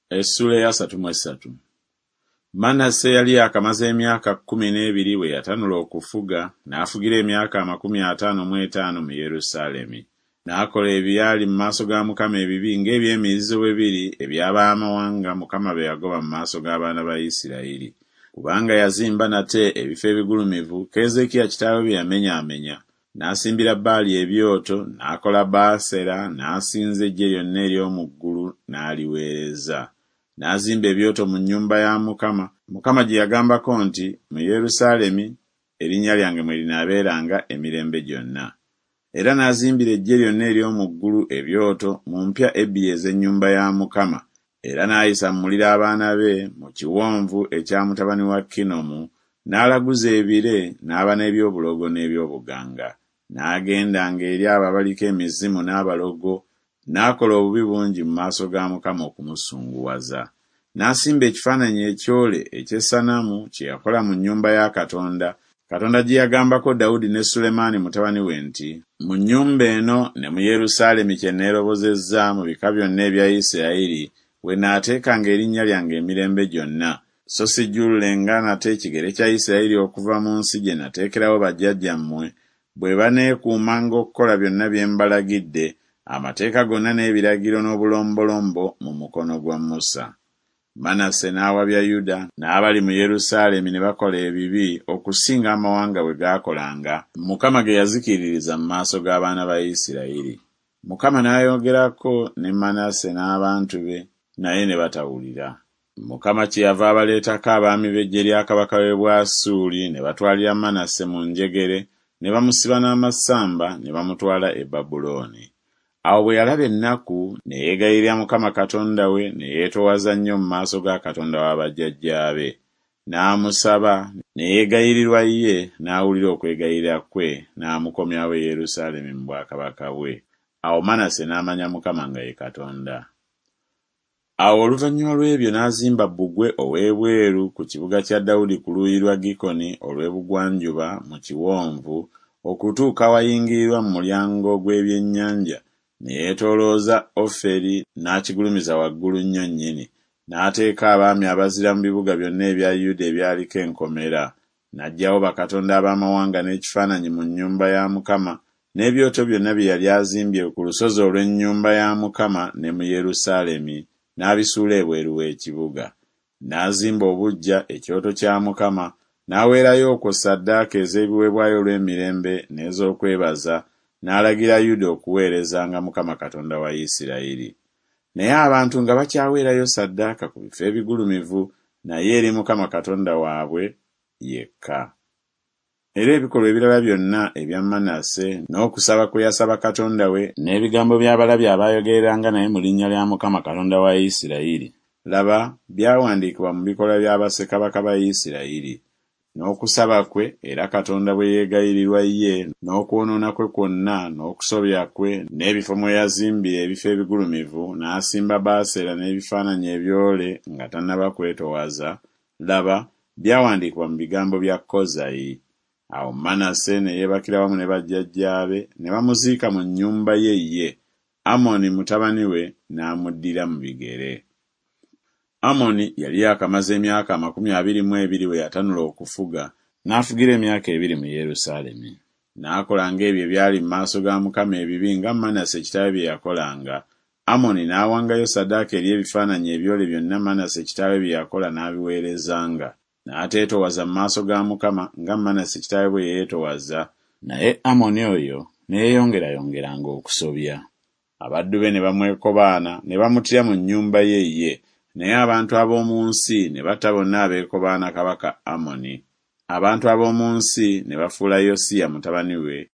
Essuula ey'asatu mu essatu. Manase yali yaakamaze emyaka 12 bwe yatanula okufuga, n'afugira emyaka 55 mu Yerusaalemi. N'akola ebyali mu maaso ga Mukama ebibi ng'eby'emizizo bwe biri eby'ab'amawanga Mukama be yagoba mu maaso g'abaana ba Isirayiri. Kubanga yazimba nate ebifo ebigulumivu Keezeekiya kitaawe bye yamenyaamenya, n'asimbira Baali ebyoto, n'akola Baasera, n'asinza eggye lyonna ery'omu ggulu n'aliweereza. N'azimba ebyoto mu nnyumba ya Mukama, Mukama gye yagambako nti Mu Yerusaalemi erinnya lyange mwe linaabeeranga emirembe gyonna. Era n'azimbira eggye lyonna ery'omu ggulu ebyoto mu mpya ebbiri ez'ennyumba ya Mukama, era n'ayisa mu muliro abaana be mu kiwonvu ekya mutabani wa Kinomu, n'alaguza ebire, n'aba n'eby'obulogo n'eby'obuganga. N'agendanga eri abo abaliko emizimu n'abalogo, n'akola obubi bungi mu maaso ga Mukama okumusunguwaza. N'asimba ekifaananyi ekyole eky'essanamu kye yakola mu nnyumba ya Katonda, Katonda gye yagambako Dawudi ne Sulemaani mutabani we nti, Mu nnyumba eno ne mu Yerusaalemi kye neerobozezza mu bika byonna ebya Isirayiri, we naateekanga erinnya lyange emirembe gyonna, so sijjululenga nate ekigere kya Isirayiri okuva mu nsi gye nateekerawo bajjajjammwe, bwe baneekuumanga okukola byonna bye mbalagidde, amateeka gonna n'ebiragiro n'obulombolombo mu mukono gwa Musa. Manase n'awabya Yuda n'abali mu Yerusaalemi ne bakola ebibi okusinga amawanga bwe gaakolanga, Mukama ge yazikiririza mu maaso g'abaana ba Isirayiri. Mukama n'ayogerako ne Manase n'abantu be, naye ne batawulira. Mukama kyeyava abaleetako abaami b'eggye lya kabaka w'e Bwasuuli ne batwalira Manase mu njegere ne bamusiba n'amasamba ne bamutwala e Babulooni. Awo bwe yalaba ennaku, ne yeegayirira Mukama Katonda we ne yeetoowaza nnyo mu maaso ga Katonda wa bajjajjaabe. N'amusaba, ne yeegayirirwa ye, n'awulira okwegayirira kwe, n'amukomyawo e Yerusaalemi mu bwakabaka bwe. Awo Manase n'amanya Mukama nga ye Katonda. Awo oluvannyuma lw'ebyo n'azimba bbugwe ow'ebweru ku kibuga kya Dawudi ku luuyi lwa Gikoni olw'ebugwanjuba mu kiwonvu, okutuuka awayingirirwa mu mulyango gw'ebyennyanja, ne yeetoolooza Oferi n'akigulumiza waggulu nnyo nnyini, n'ateeka abaami abazira mu bibuga byonna ebya Yuda ebyaliko enkomera. N'aggyawo bakatonda ab'amawanga n'ekifaananyi mu nnyumba ya Mukama n'ebyoto byonna bye yali azimbye ku lusozi olw'ennyumba ya Mukama ne mu Yerusaalemi, n'abisuula ebweru w'ekibuga. N'azimba obuggya ekyoto kya Mukama, n'aweerayo okwo ssaddaaka ez'ebiweebwayo olw'emirembe n'ez'okwebaza, n'alagira Yuda okuweerezanga Mukama Katonda wa Isirayiri. Naye abantu nga bakyaweerayo ssaddaaka ku bifo ebigulumivu, naye eri Mukama Katonda waabwe yekka. Era ebikolwa ebirala byonna ebya Manase, n'okusaba kwe yasaba Katonda we, n'ebigambo by'abalabi abaayogereranga naye mu linnya lya Mukama Katonda wa Isirayiri, laba, byawandiikibwa mu bikolwa bya bassekabaka ba Isirayiri. N'okusaba kwe, era Katonda bwe yeegayirirwa ye, n'okwonoona kwe kwonna, n'okusobya kwe, n'ebifo mwe yazimbira ebifo ebigulumivu, n'asimba Baasera n'ebifaananyi ebyole nga tannaba kwetowaza, laba, byawandiikibwa mu bigambo bya Kozayi. Awo Manase ne yeebakira wamu ne bajjajjaabe, ne bamuziika mu nnyumba ye ye, Amoni mutabani we n'amuddira mu bigere. Amoni yali yaakamaze emyaka 22 bwe yatanula okufuga, n'afugira emyaka ebiri mu Yerusaalemi. N'akolanga ebyo ebyali mu maaso ga Mukama ebibi nga Manase kitaawe bye yakolanga, Amoni n'awangayo ssaddaaka eri ebifaananyi ebyole byonna Manase kitaawe bye yakola n'abiweerezanga. N'ateetoowaza mu maaso ga Mukama nga Manase kitaawe bwe yeetowaza, naye Amoni oyo ne yeeyongerayongeranga okusobya. Abaddu be ne bamwekobaana ne bamuttira mu nnyumba ye ye, naye abantu ab'omu nsi ne batta bonna abeekobaana kabaka Amoni. Abantu ab'omu nsi ne bafuula Yosiya mutabani we